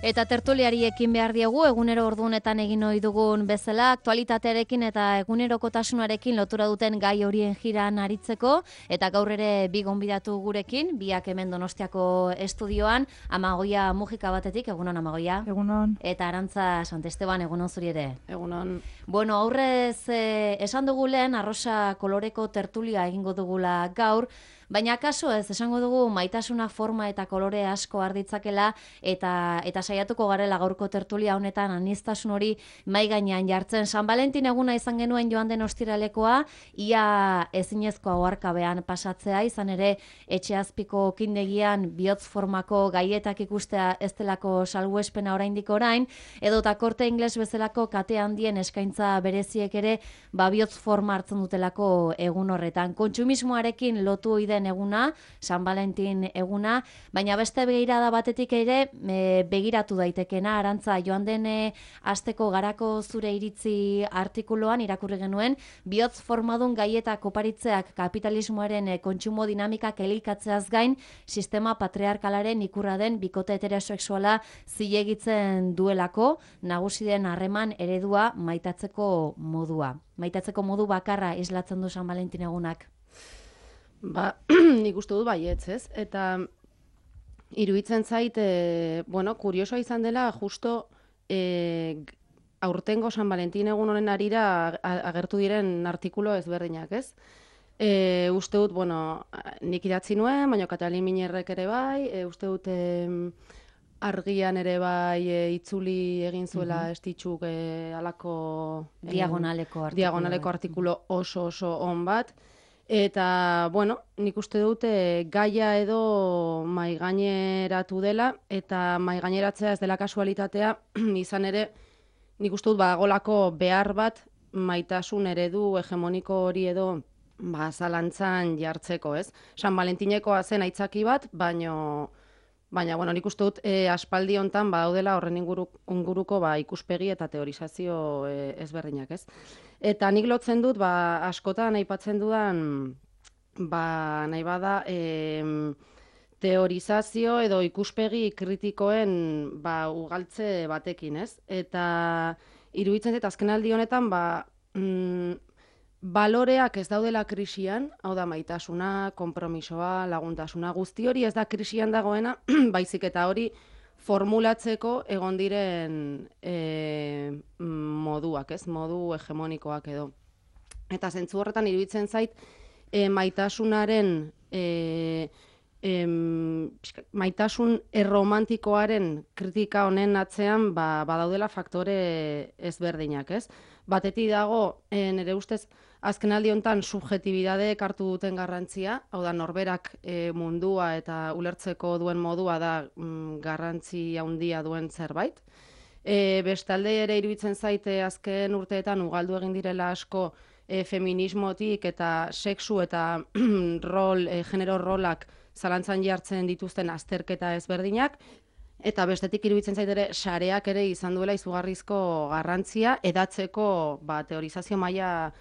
Eta tertuliari ekin behar diegu, egunero ordunetan egin ohi dugun bezala, aktualitatearekin eta egunerokotasunarekin lotura duten gai horien jiran aritzeko, eta gaur ere bi gonbidatu gurekin, biak hemen Donostiako estudioan, Amagoia Mujika batetik, egunon Amagoia. Egunon. Eta Arantza Santesteban, egunon zuri ere. Egunon. Bueno, aurrez esan dugu lehen, arrosa koloreko tertulia egingo dugula gaur, baina kaso ez, esango dugu maitasuna forma eta kolore asko arditzakela eta saiatuko garela gaurko tertulia honetan aniztasun hori mai gainean jartzen. San Valentin eguna izan genuen joan den ostiralekoa, ia ezinezkoa oharkabean pasatzea, izan ere etxeazpiko kindegian bihotz formako gaietak ikustea ez delako salbuespena oraindik orain, edota Korte Ingles bezalako kate handien eskaintza bereziek ere bihotz forma hartzen dutelako egun horretan. Kontsumismoarekin lotu ohi den eguna, San Valentin eguna, baina beste begirada batetik ere begiratu daitekena. Arantza, joan den asteko garako zure iritzi artikuluan irakurri genuen, bihotz formadun gaieta oparitzeak kapitalismoaren kontsumo dinamikak elikatzeaz gain, sistema patriarkalaren ikurra den bikote heterosexuala zilegitzen duelako, nagusi den harreman eredua maitatzeko modua. Maitatzeko modu bakarra islatzen du San Valentin egunak. Nik uste dut baietz, ez? Eta iruditzen zait, kuriosoa izan dela, justo aurtengo San Valentin egun honen arira agertu diren artikulo ezberdinak, ez? Uste dut, nik idatzi nuen, baina Katalin Miñerrek ere bai, uste dut argian ere bai itzuli egin zuela estitxuk alako diagonaleko artikulo oso on bat. Eta, nik uste dute gaia edo maigaineratu dela, eta maigaineratzea ez dela kasualitatea, izan ere, nik uste dut bagolako behar bat maitasun eredu hegemoniko hori edo zalantzan jartzeko, ez? San Valentineko zen aitzaki bat, baina nik uste dut aspaldi hontan badaudela horren inguruko ikuspegi eta teorizazio ezberdinak, ez? Eta nik lotzen dut, askotan aipatzen dudan, nahi bada, teorizazio edo ikuspegi kritikoen ugaltze batekin, ez? Eta iruditzen zait azkenaldi honetan, baloreak ez daudela krisian, hau da maitasuna, konpromisoa, laguntasuna, guzti hori ez da krisian dagoena, baizik eta hori formulatzeko egon diren moduak, ez? Modu hegemonikoak edo. Eta zentzu horretan iruditzen zait maitasunaren, maitasun erromantikoaren kritika honen atzean badaudela faktore ezberdinak, ez? Batetik dago, nire ustez, azkenaldi honetan subjetibidadeek hartu duten garrantzia, hau da norberak mundua eta ulertzeko duen modua da garrantzi handia duen zerbait. Bestalde ere iruditzen zaite azken urteetan ugaldu egin direla asko feminismotik eta sexu eta genero rolak zalantzan jartzen dituzten azterketa ezberdinak, eta bestetik iruditzen zait ere sareak ere izan duela izugarrizko garrantzia edatzeko teorizazio maila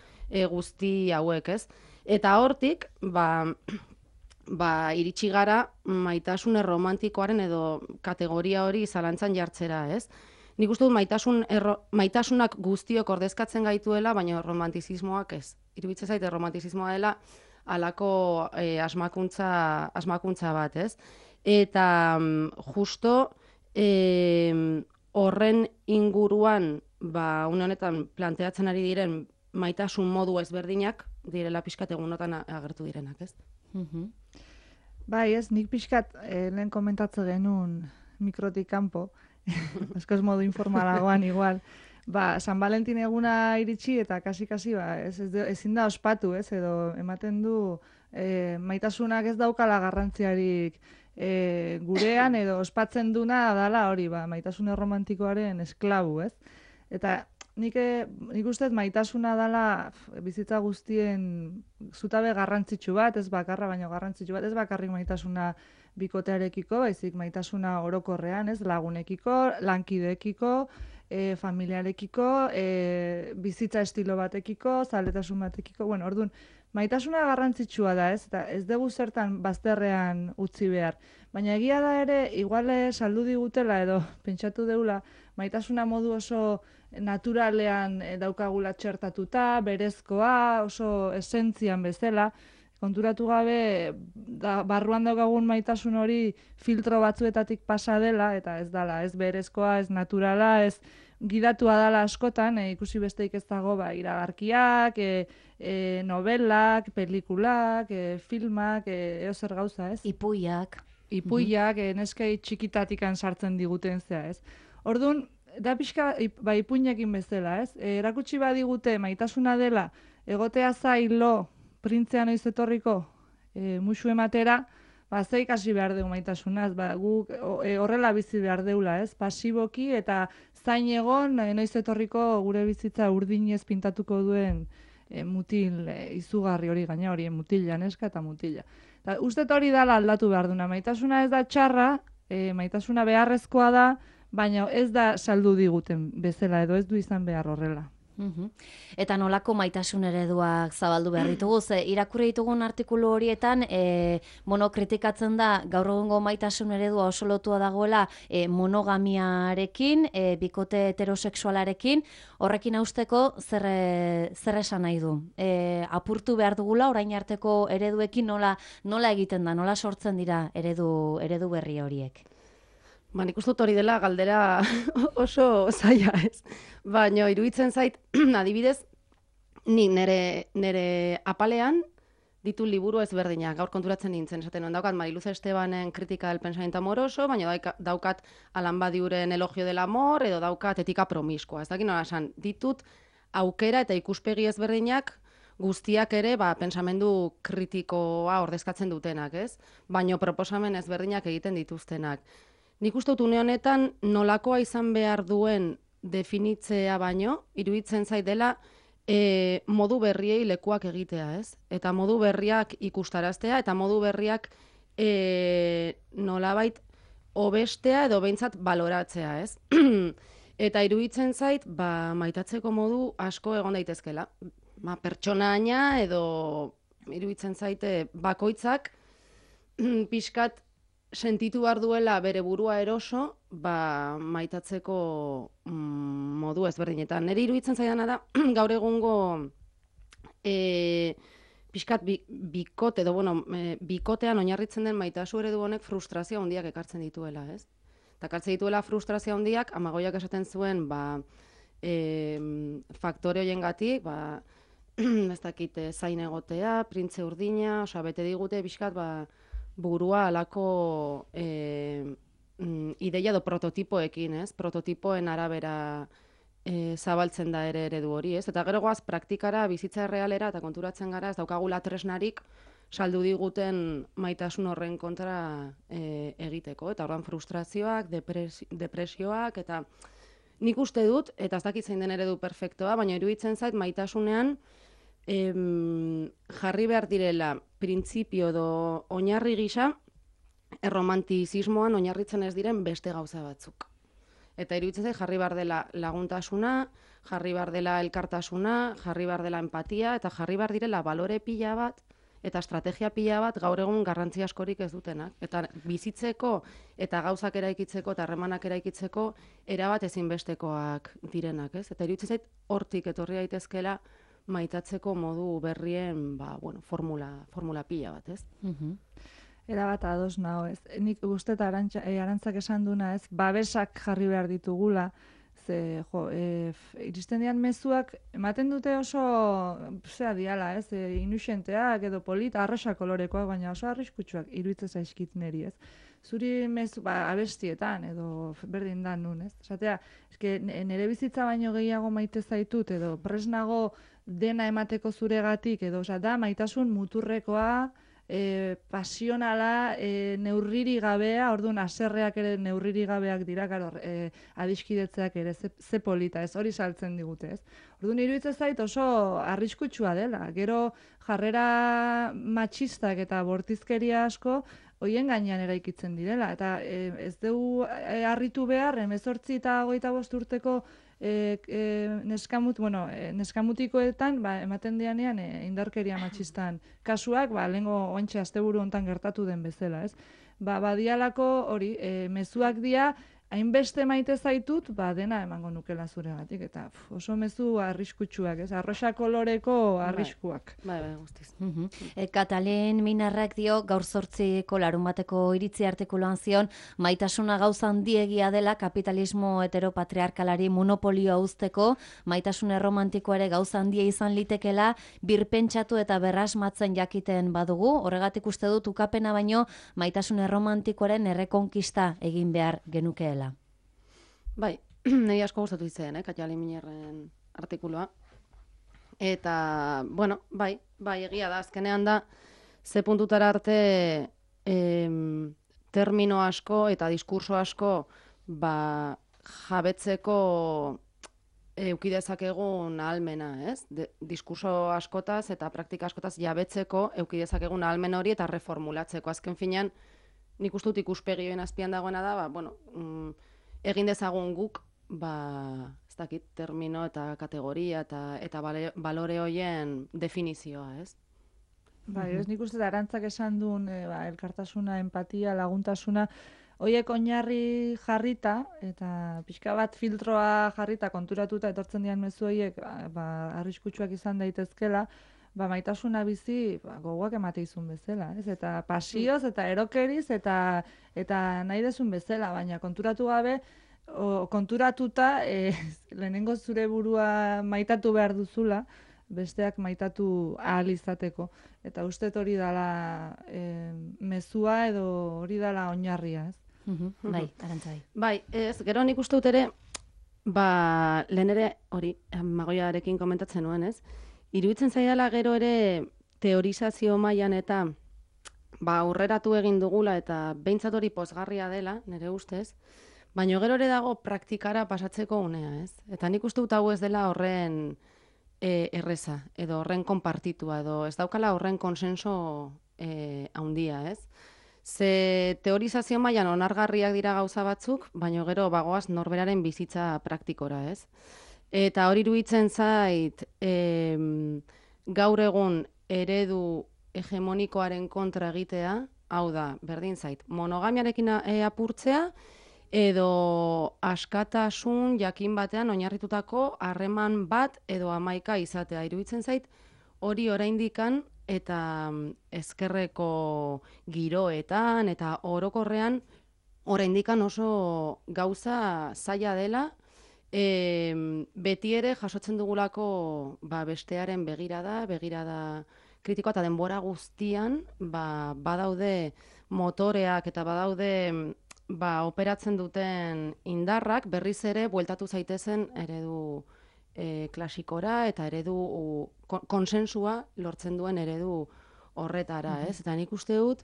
guzti hauek, ez? Eta hortik, iritsi gara maitasun erromantikoaren edo kategoria hori zalantzan jartzera, ez? Nik uste dut maitasunak guztiok ordezkatzen gaituela, baina romantizismoak ez. Iruditzen zait romantizismoa dela halako asmakuntza bat, ez? Eta justo horren inguruan, une honetan planteatzen ari diren maitasun modu ezberdinak direla pixkat egunotan agertu direnak, ez? Bai, ez, nik pixkat lehen komentatze genuen mikrotik kanpo, askoz modu informalagoan igual. San Valentin eguna iritsi eta kasi-kasi ezin da ospatu, ez, edo ematen du maitasunak ez daukala garrantziarik gurean edo ospatzen duna dala hori, maitasun erromantikoaren esklabu, ez? Eta nik uste maitasuna dala bizitza guztien zutabe garrantzitsu bat, ez bakarra, baina garrantzitsu bat, ez bakarrik maitasuna bikotearekiko, baizik maitasuna orokorrean, ez, lagunekiko, lankideekiko, familiarekiko, bizitza estilo batekiko, zaletasun batekiko, orduan, maitasuna garrantzitsua da, ez? Eta ez dugu zertan bazterrean utzi behar. Baina egia da ere, igual saldu digutela edo pentsatu deula, maitasuna modu oso naturalean daukagula txertatuta, berezkoa, oso esentzian bezala, konturatu gabe barruan daukagun maitasun hori filtro batzuetatik pasa dela, eta ez dala, ez berezkoa, ez naturala, ez gidatua dala askotan, ikusi besteik ez dago iragarkiak, novelak, pelikulak, filmak, zer gauza, ez? Ipuiak, neskei txikitatikan sartzen diguten zea, ez? Orduan, da pixka, ipuinekin bezala, ez? Erakutsi badigute maitasuna dela, egotea zailo, printzea noiz etorriko, musu ematera, ze ikasi behar dugu maitasunaz, guk horrela bizi behar deula, ez? Pasiboki eta zain egon, noiz etorriko gure bizitza urdinez pintatuko duen mutil izugarri hori gaina, hori mutila, neska eta mutila. Uste hori dala aldatu behar duna, maitasuna ez da txarra, maitasuna beharrezkoa da, baina ez da saldu diguten bezala, edo ez du izan behar horrela. Eta nolako maitasun ereduak zabaldu behar ditugu, ze irakurri ditugun artikulu horietan, kritikatzen da gaur egungo maitasun eredua oso lotua dagoela monogamiarekin, bikote heterosexualarekin, horrekin hausteko zer esan nahi du? Apurtu behar dugula orain arteko ereduekin nola egiten da, nola sortzen dira eredu berri horiek? Nik uste dut hori dela galdera oso zaila, ez? Baina iruditzen zait, adibidez, nik nire apalean ditu liburu ezberdinak, gaur konturatzen nintzen, esaten daukat Mariluz Estebanen Kritika del pensamiento amoroso, baina daukat Alan Badiouren Elogio del amor, edo daukat Etika promiskua. Ez dakit nola esan, ditut aukera eta ikuspegi ezberdinak guztiak ere pensamendu kritikoa ordezkatzen dutenak, ez? Baina proposamen ezberdinak egiten dituztenak. Nik uste dut une honetan nolakoa izan behar duen definitzea baino, iruditzen zait dela modu berriei lekuak egitea, ez? Eta modu berriak ikustaraztea, eta modu berriak nolabait hobestea edo behintzat baloratzea, ez? Eta iruditzen zait, maitatzeko modu asko egon daitezkela. Pertsonaina edo iruditzen zaite bakoitzak pixkat sentitu behar duela bere burua eroso, maitatzeko modu ezberdinetan. Nire iruditzen zaidana da, gaur egungo pixkat bikote, bikotean oinarritzen den maitasu eredu honek frustrazio handiak ekartzen dituela, ez? Eta ekartzen dituela frustrazio handiak, Amagoiak esaten zuen, faktore horiengatik, ez dakit, zain egotea, printze urdina, bete digute pixkat, burua alako ideia edo prototipoekin, ez? Prototipoen arabera zabaltzen da ere eredu hori, ez? Eta gero goaz praktikara, bizitza errealera eta konturatzen gara, ez daukagula tresnarik saldu diguten maitasun horren kontra egiteko. Eta orduan frustrazioak, depresioak, eta nik uste dut, eta ez dakit zein den eredu perfektoa, baina iruditzen zait maitasunean jarri behar direla printzipio edo oinarri gisa erromantizismoan oinarritzen ez diren beste gauza batzuk. Eta iruditzen zait jarri behar dela laguntasuna, jarri behar dela elkartasuna, jarri behar dela empatia, eta jarri behar direla balore pila bat eta estrategia pila bat gaur egun garrantzi askorik ez dutenak. Eta bizitzeko eta gauzak eraikitzeko eta harremanak eraikitzeko erabat ezinbestekoak direnak, ez? Eta iruditzen zait hortik etorri daitezkeela maitatzeko modu berrien, formula pila bat, ez? Era bat ados nago, ez? Nik uste eta Arantzak esan duna, ez? Babesak jarri behar ditugula, ze, iristen dian mezuak, ematen dute oso, diala, ez? Inusenteak edo polita, arrosa kolorekoak, baina oso arriskutsuak iruditzen zaizkit niri, ez? Zuri mezu, abestietan, edo berdin da nun, ez? Esatea, nire bizitza baino gehiago maite zaitut, edo presnago dena emateko zuregatik, edo, da, maitasun muturrekoa, pasionala, neurriri gabea, orduan aserreak ere neurriri gabeak dira, adiskidetzeak ere, ze polita, ez, hori saltzen digute, ez. Orduan iruditzen zait oso arriskutsua dela, gero jarrera matxistak eta bortizkeria asko, hoien gainean eraikitzen direla, eta ez dugu harritu behar, 18 eta 25 urteko neskamutikoetan ematen dianean indarkeria matxistan kasuak, lehengo ointxe asteburu hontan gertatu den bezala, ez? Badialako hori, mezuak dia, hainbeste maite zaitut, dena emango nukela zuregatik, eta oso mezu arriskutsuak, ez? Arrosa koloreko arriskuak. Bai, guztiz. Katalin Minarrak dio, gaur 8ko larunbateko iritzi artikuluan zion, maitasuna gauza handiegia dela kapitalismo heteropatriarkalari monopolioa uzteko, maitasun erromantikoa ere gauza handia izan litekela, birpentsatu eta berrasmatzen jakiten badugu, horregatik uste dut ukapena baino, maitasun erromantikoaren errekonkista egin behar genukeela. Bai, nahi asko gustatu izan, Katalin Minerren artikulua. Eta, bueno, bai, egia da, azkenean da, ze puntutara arte termino asko eta diskurso asko jabetzeko eukidezakegun ahalmena, ez? Diskurso askotaz eta praktika askotaz jabetzeko eukidezakegun ahalmen hori eta reformulatzeko. Azken finean, nik uste dut ikuspegioen azpian dagoena da, egin dezagun guk, ez dakit, termino eta kategoria eta balore hoien definizioa, ez? Bai, ez nik uste da Arantzak esan duen elkartasuna, empatia, laguntasuna, horiek oinarri jarrita, eta pixka bat filtroa jarrita, konturatuta etortzen dian mezu horiek, arriskutsuak izan daitezkela, maitasuna bizi gogoak emate izun bezala, ez? Eta pasioz, eta erokeriz, eta nahi dezun bezala, baina konturatu gabe, konturatuta lehenengo zure burua maitatu behar duzula, besteak maitatu ahal izateko. Eta uste hori dala mezua edo hori dala oinarria, ez? Bai, Arantzai. Bai, ez, gero nik uste dut ere, lehen ere hori, Magoiarekin komentatzen nuen, ez? Iruditzen zaidala gero ere teorizazio mailan eta aurreratu egin dugula eta behintzat hori pozgarria dela, nire ustez, baina gero ere dago praktikara pasatzeko unea, ez? Eta nik uste dut hau ez dela horren erreza, edo horren konpartitua, edo ez daukala horren konsenso handia, ez? Ze teorizazio mailan onargarriak dira gauza batzuk, baina gero bagoaz norberaren bizitza praktikora, ez? Eta hori iruditzen zait, gaur egun eredu hegemonikoaren kontra egitea, hau da, berdin zait, monogamiarekin apurtzea, edo askatasun jakin batean oinarritutako harreman bat edo 11 izatea. Iruditzen zait, hori oraindikan eta ezkerreko giroetan eta orokorrean oraindikan oso gauza zaila dela, beti ere jasotzen dugulako bestearen begirada kritikoa eta denbora guztian badaude motoreak eta badaude operatzen duten indarrak berriz ere bueltatu zaitezen eredu klasikora eta eredu konsensua lortzen duen eredu horretara, ez? Eta nik uste dut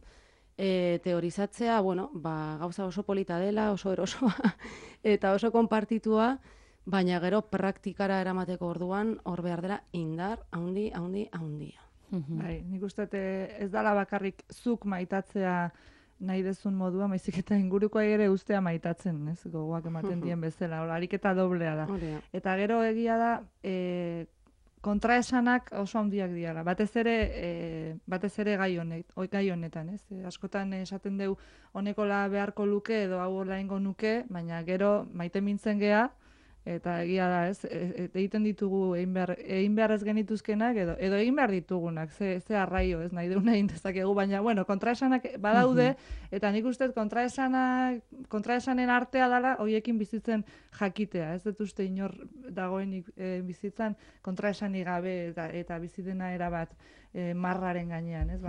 teorizatzea, gauza oso polita dela, oso erosoa eta oso konpartitua, baina gero praktikara eramateko orduan hor behar dela indar handia. Bai, nik uste ez dala bakarrik zuk maitatzea nahi dezun modua, maizik eta ingurukoa ere ustea maitatzen, ez? Gogoak ematen dien bezala, ariketa doblea da. Eta gero egia da, kontraesanak oso handiak diala. Batez ere gai honetan, ez? Askotan esaten deu honekola beharko luke edo hau laingo nuke, baina gero maite mintzen gea, eta egia da, ez? Egiten ditugu egin behar ez genituzkenak edo egin behar ditugunak, ze arraio, ez? Nahi deuna egin dezakegu, baina, kontraesanak badaude, eta nik uste kontraesanen artea dela hoiekin bizitzen jakitea, ez dut uste inor dagoenik bizitzan kontraesanik gabe eta bizidena erabat marraren gainean, ez?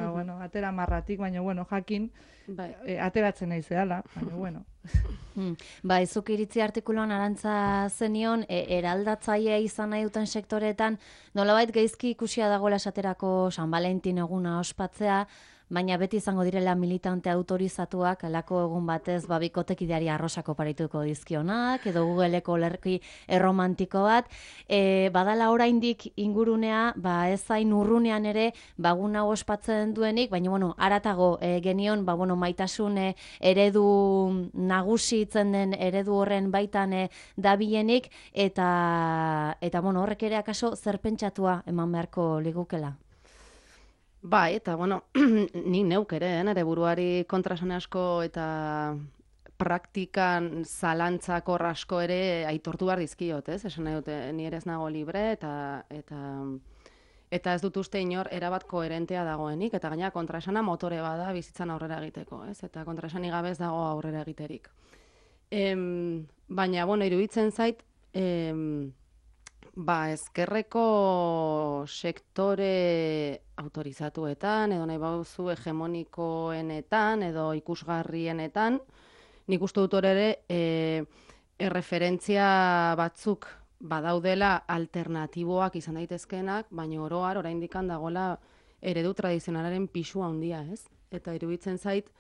Atera marratik, baina, jakin, ateratzen nahi zehala, baina, Bai, zuk iritzi artikuluan Arantza zenion, eraldatzaile izan nahi duten sektoretan, nolabait gaizki ikusia dagoela esaterako San Valentin eguna ospatzea, baina beti izango direla militante autorizatuak, alako egun batez bikotekideari arrosak oparituko dizkionak, edo Googleeko lerki erromantiko bat, badala oraindik ingurunea, ez zain urrunean ere, guna ospatzen duenik, baina, bueno, aratago genion, maitasun eredu nagusitzen den eredu horren baitan dabilenik, eta bueno, horrek ere akaso zer pentsatua eman beharko ligukela. Bai, eta, bueno, nik neuk ere, nire buruari kontrasan asko eta praktikan zalantzako asko ere aitortu behar dizkiot, ez? Esan nahi dute, ni ere ez nago libre, eta ez dut uste inor erabat koherentea dagoenik, eta gaina kontraesana motore bada bizitzan aurrera egiteko, ez? Eta kontraesanik gabe ez dago aurrera egiterik. Baina, bueno, iruditzen zait, ezkerreko sektore autorizatuetan, edo nahi bauzu hegemonikoenetan, edo ikusgarrienetan, nik uste dut ere erreferentzia batzuk badaudela alternatiboak izan daitezkeenak, baina oroar oraindik dagoela eredu tradizionalaren pisu handia, ez? Eta iruditzen zait,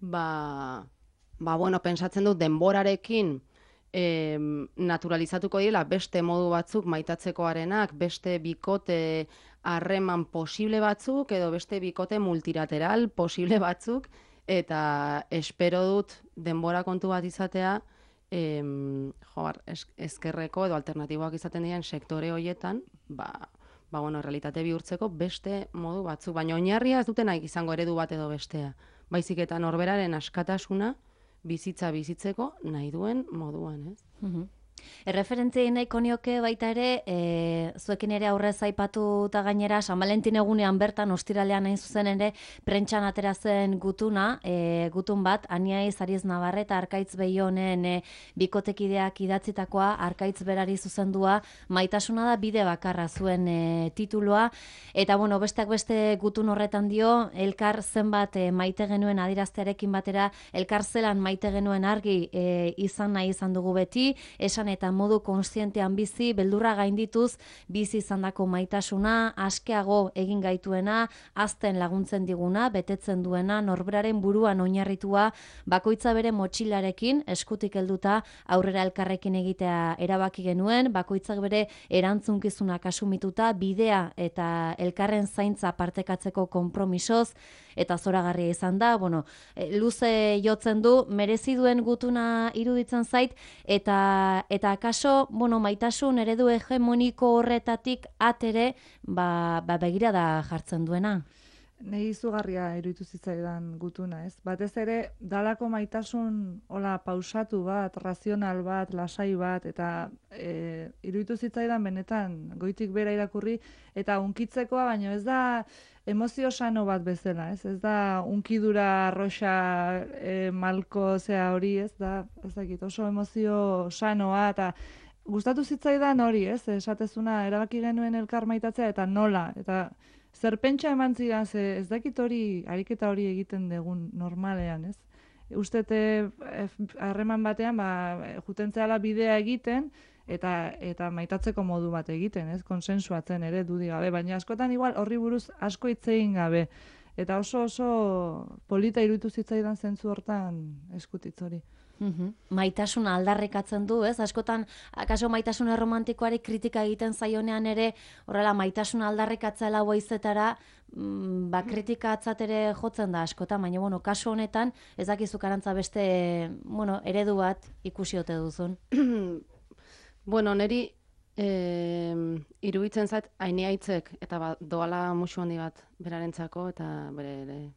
bueno, pentsatzen dut denborarekin naturalizatuko direla beste modu batzuk maitatzekoarenak, beste bikote harreman posible batzuk, edo beste bikote multilateral posible batzuk, eta espero dut denbora kontu bat izatea, ezkerreko edo alternatiboak izaten diren sektore horietan, bueno, realitate bihurtzeko beste modu batzuk. Baina oinarria ez duten nahi izango eredu bat edo bestea. Baizik eta norberaren askatasuna bizitza bizitzeko nahi duen moduan, ez? Erreferentziei nahiko nioke baita ere, zuekin ere aurrez aipatu eta gainera, San Valentin egunean bertan, ostiralean hain zuzen ere, prentxan atera zen gutun bat, Aniaiz Ariz Navarreta Arkaitz Behionen bikotekideak idatzitakoa, Arkaitz berari zuzendua, maitasuna da bide bakarra zuen titulua, eta bueno, besteak beste gutun horretan dio, elkar zenbat maite genuen adiraztearekin batera, elkar zelan maite genuen argi izan nahi izan dugu beti, esan eta modu kontzientean bizi, beldurra gaindituz, bizi izandako maitasuna, askeago egin gaituena, azten laguntzen diguna, betetzen duena, norberaren buruan oinarritua, bakoitza bere motxilarekin, eskutik helduta aurrera elkarrekin egitea erabaki genuen, bakoitzak bere erantzunkizunak asumituta, bidea eta elkarren zaintza partekatzeko konpromisoz, eta zoragarria izan da, bueno, luze jotzen du, merezi duen gutuna iruditzen zait, eta akaso, bueno, maitasun eredu hegemoniko horretatik atere, begirada jartzen duena. Nei izugarria iruditu zitzaidan gutuna, ez? Batez ere, dalako maitasun hola pausatu bat, razional bat, lasai bat, eta iruditu zitzaidan benetan goitik bera irakurri, eta unkitzekoa, baino ez da emozio sano bat bezala, ez? Ez da unkidura arroxa malko zea hori, ez da, ez dakit, oso emozio sanoa, eta gustatu zitzaidan hori, ez? Esatezuna erabaki genuen elkar maitatzea, eta nola, eta zer pentsa eman zidan, ez dakit hori, ariketa hori egiten dugun normalean, ez? Ustete harreman batean, jutentzeala bidea egiten, eta maitatzeko modu bat egiten, ez? Konsensuatzen ere dudi gabe, baina askotan igual horri buruz asko hitz egin gabe. Eta oso polita iruditu zitzaidan zentzu hortan eskutitz hori. Maitasuna aldarrikatzen du, ez? Askotan, akaso maitasun erromantikoari kritika egiten zaionean ere, horrela, maitasuna aldarrikatzela boizetara, kritika atzatere jotzen da askotan, baina, bueno, kasu honetan, ez dakizu karantza beste, bueno, eredu bat ikusi ote duzun. Bueno, neri iruditzen zait Aniaitzek, eta doala musu handi bat berarentzako, eta bere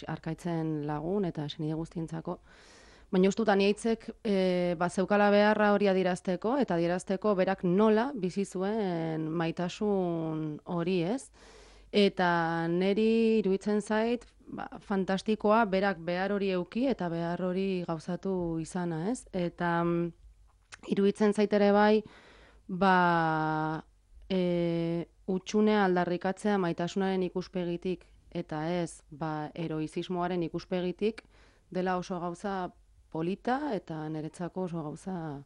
Arkaitzen lagun, eta senide guztientzako. Baina ustut Aniaitzek zeukala beharra hori adierazteko, eta adierazteko berak nola bizi zuen maitasun hori, ez? Eta neri iruditzen zait, fantastikoa berak behar hori euki eta behar hori gauzatu izana, ez? Eta iruditzen zait ere bai, utxunea aldarrikatzea maitasunaren ikuspegitik, eta ez, heroizismoaren ikuspegitik, dela oso gauza polita eta niretzako oso gauza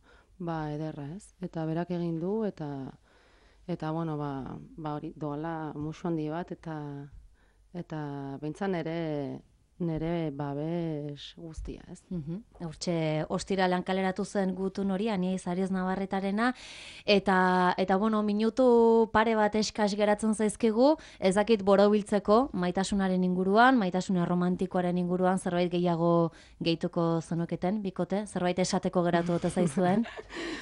ederra, ez? Eta berak egin du, eta bueno, hori, doala musu handi bat, eta behintzan nere babes guztia, ez? Hortxe, ostiralan kaleratu zen gutun hori, Aniaiz Ariz Navarretarena, eta bueno, minutu pare bat eskas geratzen zaizkigu, ez dakit borobiltzeko maitasunaren inguruan, maitasun romantikoaren inguruan, zerbait gehiago gehituko zenoketen, bikote, zerbait esateko geratu ote zaizuen.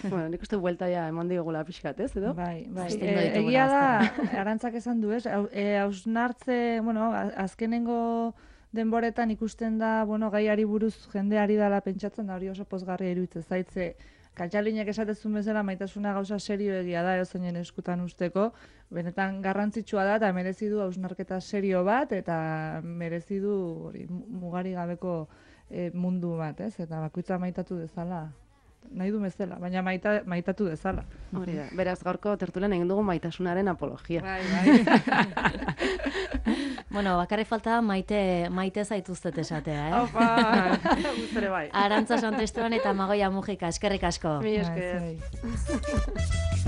Bueno, nik uste buelta ja eman digula pixkat, ez, edo? Bai. Justen ditugula Egia da, Arantzak esan du, ez? Hausnartze, bueno, azkenengo denboretan ikusten da, bueno, gaiari buruz jendeari dala pentsatzen da, hori oso pozgarria iruditzen zaitze. Kantxalinek esatezun bezala maitasuna gauza serioegia da, eozeinen eskutan usteko, benetan garrantzitsua da, eta merezi du hausnarketa serio bat, eta merezi du hori mugari gabeko mundu bat, ez? Eta bakoitza maitatu dezala. Nahi du bezala, baina maitatu dezala. Hori da, beraz gaurko tertulian egin dugu maitasunaren apologia. Bai. Bueno, bakarrik falta maite zaituztet esatea, eh? Opa! Guztere bai. Arantza Santestuan eta Magoia Mujika, eskerrik asko. Mi esker. Bai.